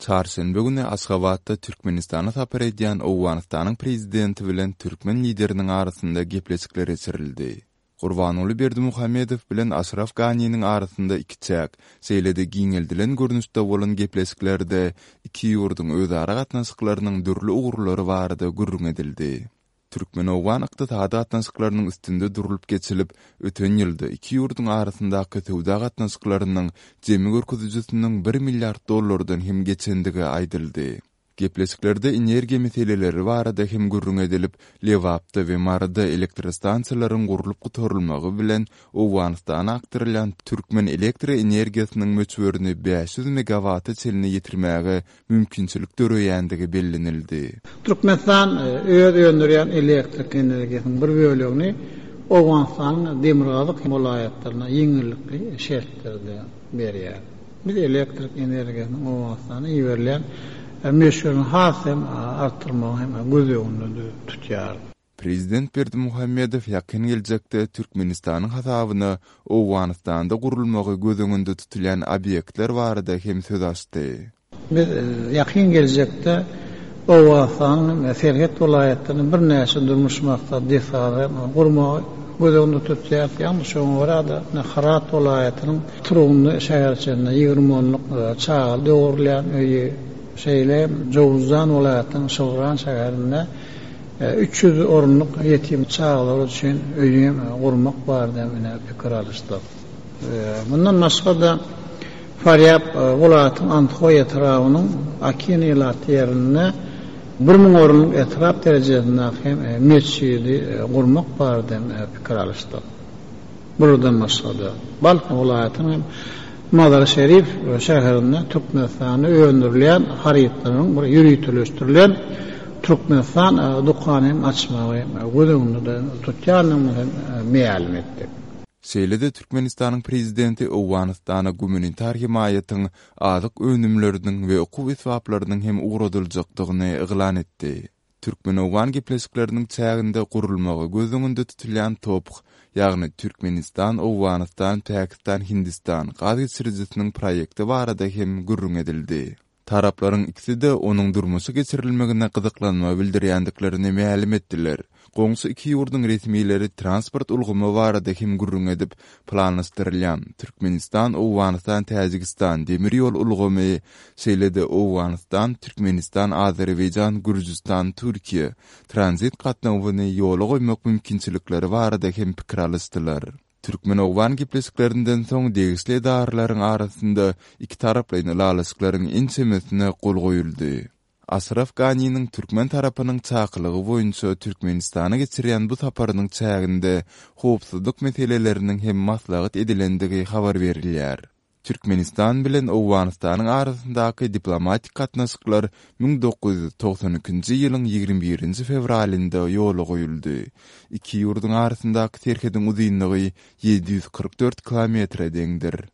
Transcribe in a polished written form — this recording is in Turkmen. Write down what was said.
Çarşenbe güni Aşgabatda Türkmenistana sapar edýän Owganystanyň Prezidenti bilen türkmen Lideriniň arasynda gepleşikler geçirildi. Gurbanguly Berdimuhamedow bilen Aşraf Ganiniň arasynda ikiçäk, şeýle-de giňeldilen görnüşde bolan gepleşiklerde iki ýurduň özara gatnaşyklarynyň dürli ugurlary barada gürrüň edildi. Türkmen-owgan ykdysady gatnaşyklarynyň üstünde durlup geçilip, öten ýylda iki ýurduň arasyndaky söwda gatnaşyklarynyň jemi görkezijisiniň bir milliard dollardan hem geçendigi aýdyldy. Gepleşiklerde energiýa meseleleri barada hem gürrüň edilip, Lebapda we Maryda elektrostansiýalaryň gurlup gutarylmagy bilen Owganystana akdyrylýan türkmen elektroenergiýasynyň möçberini 500 megawata çenli ýetirmäge mümkinçilik döreýändigi bellenildi. Türkmenistan öz öndürýän elektrik energiýasynyň bir bölegini Owganystanyň demirgazyk welaýatlaryna ýeňillikli şertlerde berýär. Biz elektrik energiýasynyň Owganystana iberilýän möçberini has hem artdyrmagy hem göz öňünde tutýarys. Prezident Berdimuhamedow ýakyn geljekde Türkmenistanyň hasabyna Owganystanda gurulmagy göz öňünde tutulýan obýektler barada hem söz açdy. Biz ýakyn geljekde Owganystanyň serhet welaýatlarynda birnäçe durmuş maksatly desgalary gurmagy göz öňünde tutýarys. Ýagny şoňa görä-de, Hyrat welaýatynyň Turgundy şäherçesinde 20 onluk çaga dogrulýan öýi, şeýle hem Jowuzjan welaýatynyň Şygran şäherinde 300 orunlyk ýetim çagalar üçin öýi gurmak barada ine pikir alyşdyk. Mundan başga-da, Farýab welaýatynyň Andhoý etrabynyň Akin ilatly ýerinde 1000 orunlyk etrap derejesindäki hem metjidi gurmak barada hem pikir alyşdyk. Bulardan başga-da, Balh welaýatynyň hem Mazar-Şerif şäherinde Türkmenistanda öndürilýän harytlaryň bir ýöriteleşdirilen Türkmenistan dükany hem açmagy göz öňünde tutýandygymyzy hem mälim etdik. Şeýle-de Türkmenistanyň Prezidenti Owganystana gumanitar hemaýatyň, azyk önümleriniň we okuw esbaplarynyň hem ugradyljakdygyny yglan etdi. Türkmen-owgan gepleşikleriniň çäginde gurulmagy göz öňünde tutulýan TOPH, ýagny Türkmenistan, Owganystan, Pakistan, Hindistan gaz geçirijisiniň proýekti barada hem gürrüň edildi. Taraplaryň ikisi-de onuň durmuşa geçirilmegine gyzyklanma bildirýändiklerini mälim etdiler. Goňşy iki ýurduň resmileri transport ulgamy barada hem gürrüň edip, planlaşdyrylýan Türkmenistan, Owganystan, Täjigistan demir ýol ulgamy, şeýle-de Owganystan, Türkmenistan, Azerbaýjan, Gürjüstan, Türkiýe tranzit gatnawyny ýola goýmak mümkinçilikleri barada hem pikir alyşdylar. Türkmen-owgan gepleşiklerinden soň degişli edaralaryň arasynda ikitaraplaýyn ylalaşyklaryň ençemesine gol goýuldy. Aşraf Ganiniň türkmen tarapynyň çakylygy boýunça Türkmenistana geçirýän bu saparynyň çäginde howpsuzlyk meseleleriniň hem maslahat edilendigi habar berilýär. Türkmenistan bilen Owganystanyň arasyndaky diplomatik gatnaşyklar 1992-nji ýylyň 21-nji fewralynda ýola goýuldy. Iki ýurduň arasyndaky serhediň uzynlygy 744 kilometre deňdir.